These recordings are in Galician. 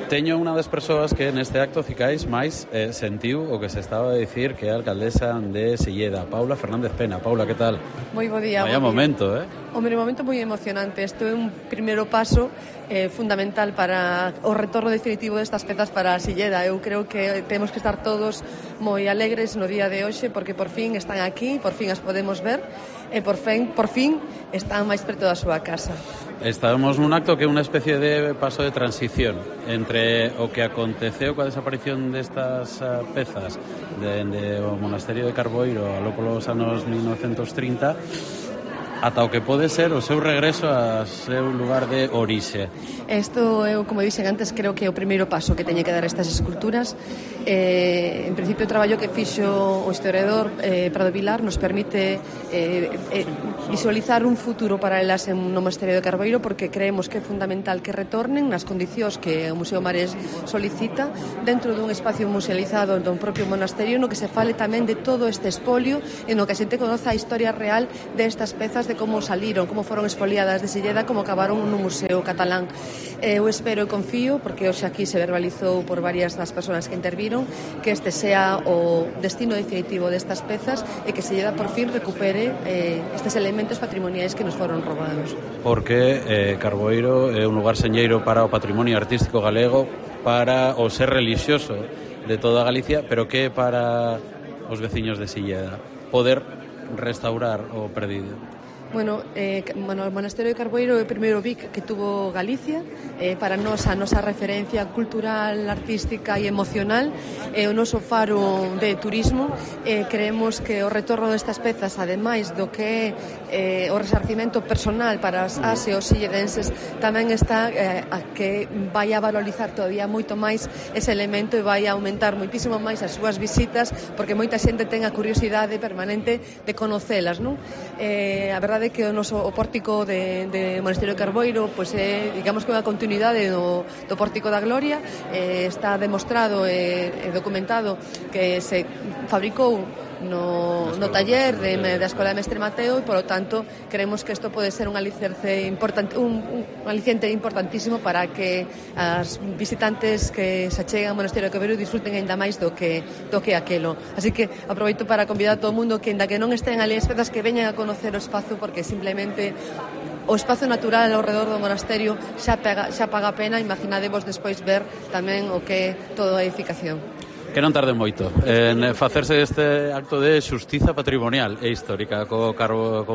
Teño unha das persoas que neste acto cicais máis sentiu o que se estaba a dicir que é a alcaldesa de Silleda, Paula Fernández Pena. Paula, que tal? Moi bo día. Vaya momento, Un momento moi emocionante. Isto é un primeiro paso fundamental para o retorno definitivo destas pezas para Silleda. Eu creo que temos que estar todos moi alegres no día de hoxe porque por fin están aquí, por fin as podemos ver e por fin están máis preto da súa casa. Estamos nun acto que é unha especie de paso de transición entre o que aconteceu coa desaparición destas pezas dende o monasterio de Carboeiro aló polos anos 1930 ata o que pode ser o seu regreso ao seu lugar de orixe. Isto, eu, como dixen antes, creo que é o primeiro paso que teñen que dar estas esculturas. En principio, o traballo que fixo o historiador Prado Vilar nos permite visualizar un futuro para elas no monasterio de Carboeiro, porque creemos que é fundamental que retornen nas condicións que o Museo Marés solicita dentro dun espacio musealizado do propio monasterio, no que se fale tamén de todo este espolio e no que a xente conoza a historia real destas pezas, de como saliron, como foron expoliadas de Silleda, como acabaron no Museo Catalán. Eu espero e confío, porque hoxe aquí se verbalizou por varias das persoas que interviron, que este sea o destino definitivo destas pezas e que Silleda por fin recupere estes elementos patrimoniais que nos foron robados. Porque Carboeiro é un lugar señeiro para o patrimonio artístico galego, para o ser relixioso de toda Galicia, pero que para os veciños de Silleda poder restaurar o perdido. Bueno, o monasterio de Carboeiro é o primeiro BIC que tuvo Galicia, para nós a nosa referencia cultural, artística e emocional, é o noso faro de turismo. Creemos que o retorno destas pezas, ademais do que é o resarcimento personal para as e os silledenses, tamén está a que vai a valorizar todavía moito máis ese elemento e vai a aumentar moitísimo máis as súas visitas, porque moita xente ten a curiosidade permanente de conocelas, non? A verdade é que o noso pórtico de Monasterio de Carboeiro pois é, digamos que unha continuidade do Pórtico da Gloria. Está demostrado e documentado que se fabricou no taller da Escola de Mestre Mateo e, polo tanto, creemos que isto pode ser un aliciente importantísimo para que as visitantes que se acheguen ao Monasterio de Carboeiro disfruten ainda máis do que aquelo. Así que aproveito para convidar a todo o mundo que, ainda que non estén ali as pezas, que veñan a conocer o espazo, porque simplemente o espazo natural ao redor do monasterio xa paga a pena. Imaginadevos despois ver tamén o que é toda a edificación. Que non tarde moito en facerse este acto de xustiza patrimonial e histórica co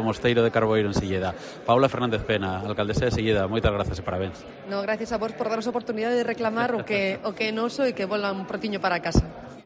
mosteiro de Carboeiro en Silleda. Paula Fernández Pena, alcaldesa de Silleda, moitas grazas e parabéns. No, gracias a vos por darnos a oportunidade de reclamar o que é noso e que volan un protiño para casa.